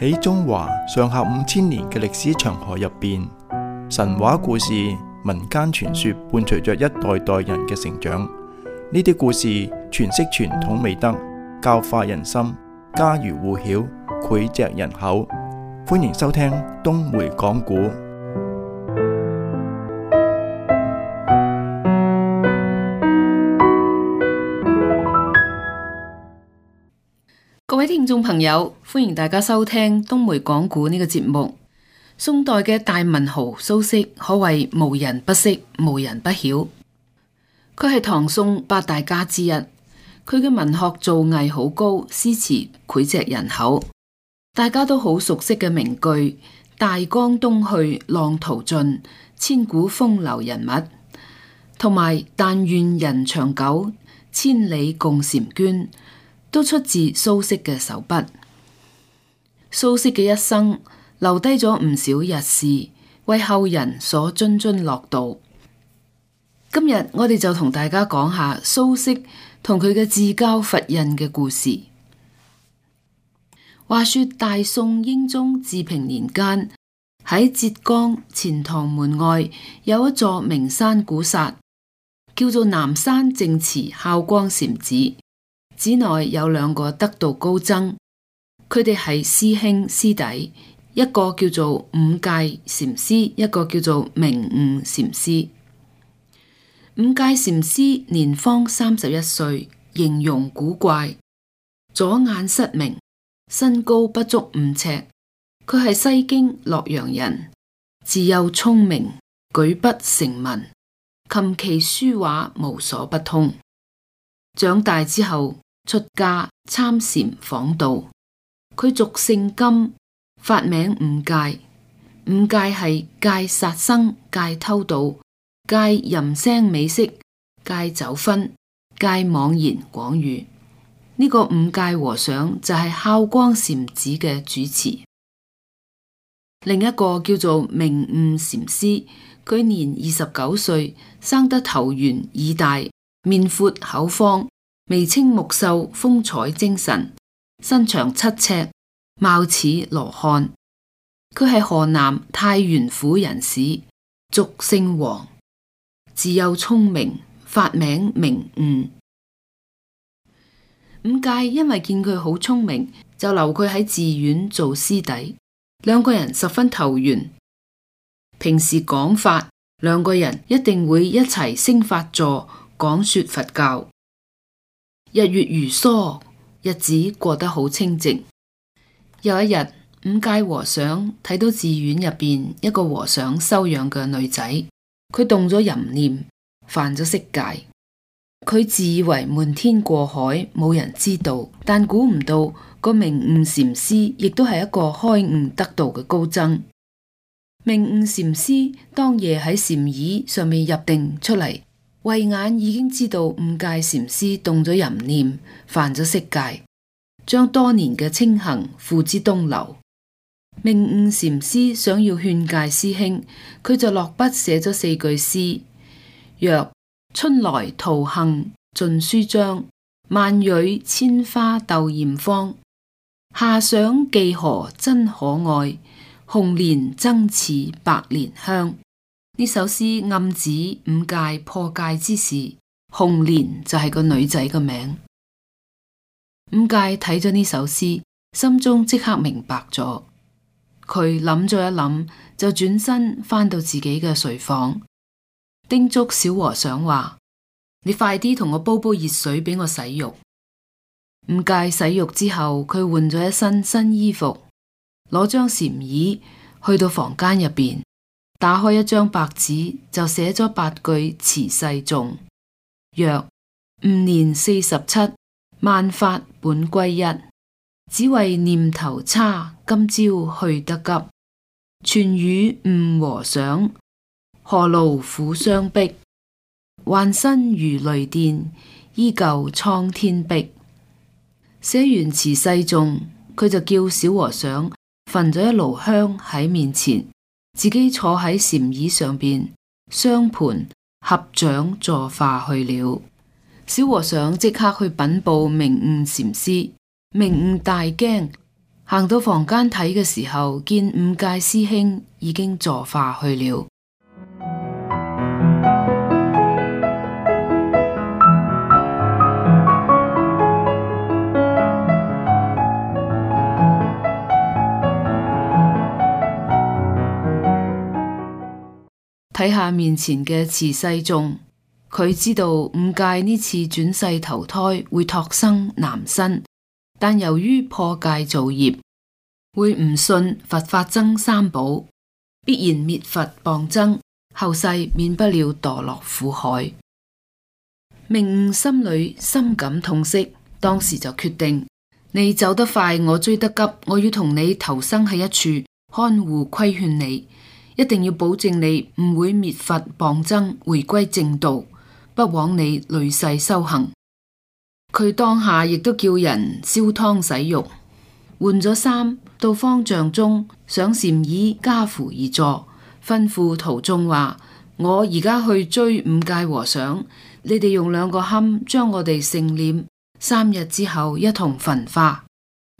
喺中華上下5000年嘅歷史長河入邊，神話故事、民間傳說伴隨着一代代人嘅成長。呢啲故事詮釋傳統美德，教化人心，家喻戶曉，膾炙人口。歡迎收聽東梅講古。各位聽眾朋友，歡迎大家收聽東梅講古呢個節目。宋代嘅大文豪蘇軾可謂無人不識，無人不曉。佢係唐宋8大家之一，佢嘅文學造詣好高，詩詞膾炙人口。大家都好熟悉嘅名句：大江東去，浪淘盡，千古風流人物。同埋但願人長久，千里共嬋娟，都出自蘇軾嘅手筆。蘇軾嘅一生留低咗唔少軼事，為後人所津津樂道。今日我哋就同大家講下蘇軾同佢嘅至交佛印嘅故事。話說大宋英宗治平年間，喺浙江錢塘門外有一座名山古剎，叫做南山淨慈孝光禪寺。寺內有2個得道高僧，佢哋係師兄師弟，一個叫做五戒禪師，一個叫做明悟禪師。五戒禪師年方31歲，形容古怪，左眼失明，身高不足5尺。佢係西京洛陽人，自幼聰明，舉筆成文，琴棋書畫無所不通。長大之後出家參禪訪道，佢俗姓金，法名五戒。五戒係戒殺生、戒偷盜、戒淫聲美色、戒酒薰、戒妄言廣語。呢個五戒和尚就係孝光禪寺嘅主持。另一個叫做明悟禪師，佢年29歲，生得頭圓耳大，面闊口方，眉清目秀，風采精神，身長7尺，貌似羅漢。佢係河南太原府人士，俗姓王，自幼聰明，法名明悟。五戒因為見佢好聰明，就留佢喺寺院做師弟。2個人十分投緣，平時講法，2個人一定會一齊升法座，講說佛教。日月如梭，日子過得好清靜。有一日，五戒和尚睇到寺院入邊一個和尚收養嘅女仔，佢動咗淫念，犯咗色戒。佢自以為瞞天過海，冇人知道，但估唔到個明悟禪師亦都係一個開悟得道嘅高僧。明悟禪師當夜喺禪椅上面入定出嚟，慧眼已經知道五戒禪師動咗淫念，犯咗色戒，將多年嘅清行付之東流。明悟禪師想要勸戒師兄，佢就落筆寫咗4句詩，曰：春來桃杏盡書章，萬蕊千花鬥艷芳。夏賞寄荷真可愛，紅蓮爭似百年香。呢首詩暗指五戒破戒之時，紅蓮就係個女仔嘅名。五戒睇咗呢首詩，心中即刻明白咗。佢諗咗一諗，就轉身返到自己嘅睡房，叮囑小和尚話：你快啲同我煲熱水俾我洗浴。五戒洗浴之後，佢換咗一身新衣服，攞張禪椅去到房間入邊，打開一張白紙，就寫咗8句辭世頌，曰：吾年47，萬法本歸一，只為念頭差，今朝去得急。傳與悟和尚，何勞苦相逼，幻身如雷電，依舊蒼天碧。寫完辭世頌，佢就叫小和尚焚咗一爐香喺面前，自己坐喺禪椅上邊，雙盤合掌坐化去了。小和尚即刻去稟報明悟禪師，明悟大驚，行到房間睇嘅時候，見五戒師兄已經坐化去了。睇下面前嘅慈世眾，佢知道五戒呢次轉世投胎會託生男身，但由於破戒造業，會唔信佛法僧三寶，必然滅佛謗僧，後世免不了墮落苦海。明悟心裏深感痛惜，當時就決定：你走得快，我追得急，我要同你投生喺一處，看護規勸你。一定要保證你唔會滅佛謗僧，回歸正道，不枉你累世修行。佢當下亦都叫人燒湯洗浴，換咗衫，到方丈中上禪椅跏趺而坐，吩咐徒眾話：我而家去追五戒和尚，你哋用2個龕將我哋盛殮，3日之後一同焚化。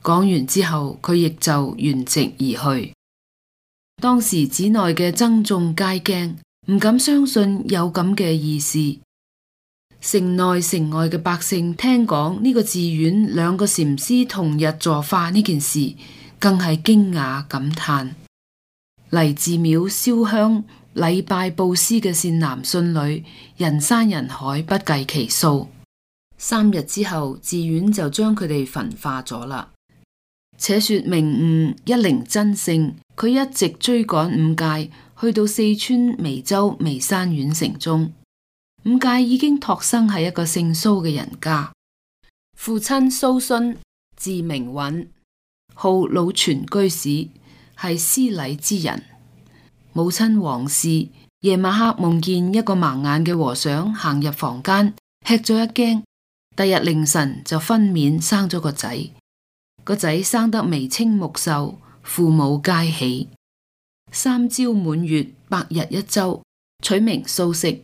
講完之後，佢亦就圓寂而去。當時寺內嘅僧眾皆驚，唔敢相信有咁嘅意思。城內城外嘅百姓聽講呢個寺院2個禪師同日坐化呢件事，更係驚訝感嘆。嚟寺廟燒香禮拜布施嘅善男信女，人山人海不計其數。3日之後，寺院就將佢哋焚化咗啦。且說明悟一靈真性，佢一直追趕五戒，去到四川眉州眉山縣城中。五戒已經託生喺一個姓蘇嘅人家，父親蘇洵字明允，號老泉居士，係施禮之人。母親王氏夜晚黑夢見一個盲眼嘅和尚行入房間，吃咗一驚，第日凌晨就分娩生咗個仔。個仔生得眉清目秀，父母皆喜。3朝滿月，百日一周，取名蘇軾。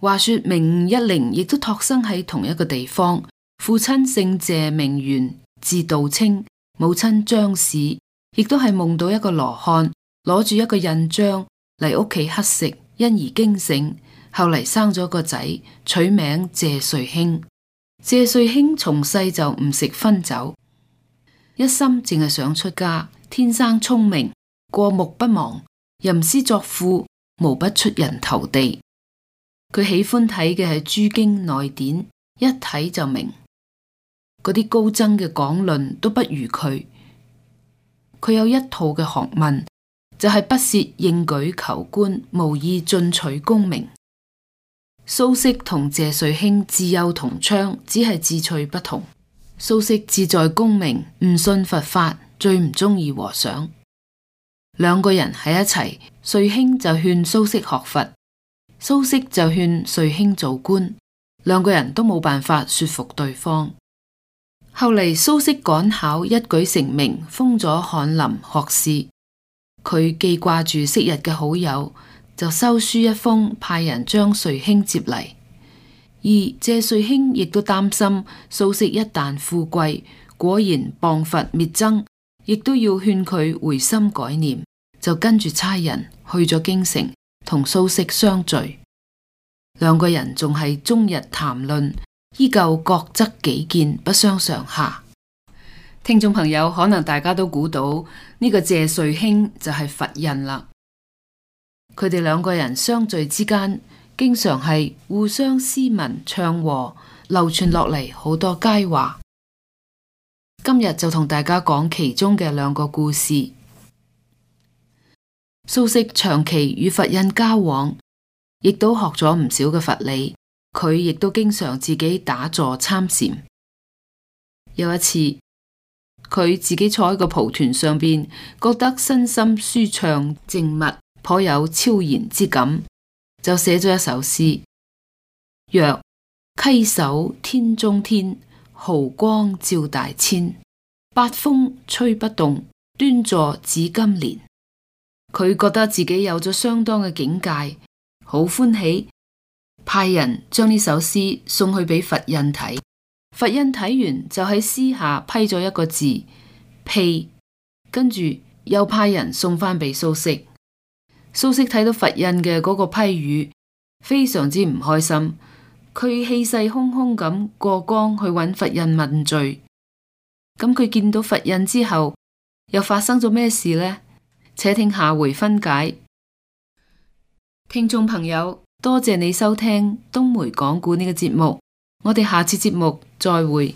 話說明悟一靈亦都託生喺同一個地方，父親姓謝名玄，字道清，母親張氏，亦都係夢到一個羅漢攞住一個印章嚟屋企乞食，因而驚醒，後嚟生咗個仔，取名謝瑞興。謝瑞興從細就唔食葷酒，一心淨係想出家，天生聰明，過目不忘，吟詩作賦，無不出人頭地。佢喜歡睇嘅係諸經內典，一睇就明。嗰啲高僧嘅講論都不如佢。佢有一套嘅學問，就係不屑應舉求官，無意進取功名。蘇軾同謝瑞興自幼同窗，只係志趣不同。蘇軾志在功名，唔信佛法，最唔中意和尚。2個人喺一齊，瑞興就勸蘇軾學佛，蘇軾就勸瑞興做官，2個人都冇辦法說服對方。後嚟蘇軾趕考一舉成名，封咗翰林學士。佢記掛住昔日嘅好友，就收書一封，派人將瑞興接嚟。而謝瑞興亦都擔心蘇軾一旦富貴，果然謗佛滅僧，亦都要勸佢回心改念，就跟住差人去咗京城，同蘇軾相聚。2個人仲係終日談論，依舊各執己見，不相上下。聽眾朋友，可能大家都估到呢個謝瑞興就係佛印啦。佢哋2個人相聚之間，經常係互相詩文唱和，流傳落嚟好多佳話。今日就同大家講其中嘅2個故事。蘇軾長期與佛印交往，亦都學咗唔少嘅佛理。佢亦都經常自己打坐參禪。有一次，佢自己坐喺個蒲團上邊，覺得身心舒暢靜默，頗有超然之感，就寫咗一首詩，曰：稽首天中天，毫光照大千，八風吹不動，端坐紫金蓮。佢覺得自己有咗相當嘅境界，好歡喜，派人將呢首詩送去俾佛印睇。佛印睇完就喺詩下批咗一個字，屁，跟住又派人送返俾蘇軾。蘇軾睇到佛印嘅嗰個批語，非常之唔開心，佢氣勢洶洶咁過江去揾佛印問罪。咁佢見到佛印之後，又發生咗咩事呢？且聽下回分解。聽眾朋友，多謝你收聽東梅講故呢個節目，我哋下次節目再會。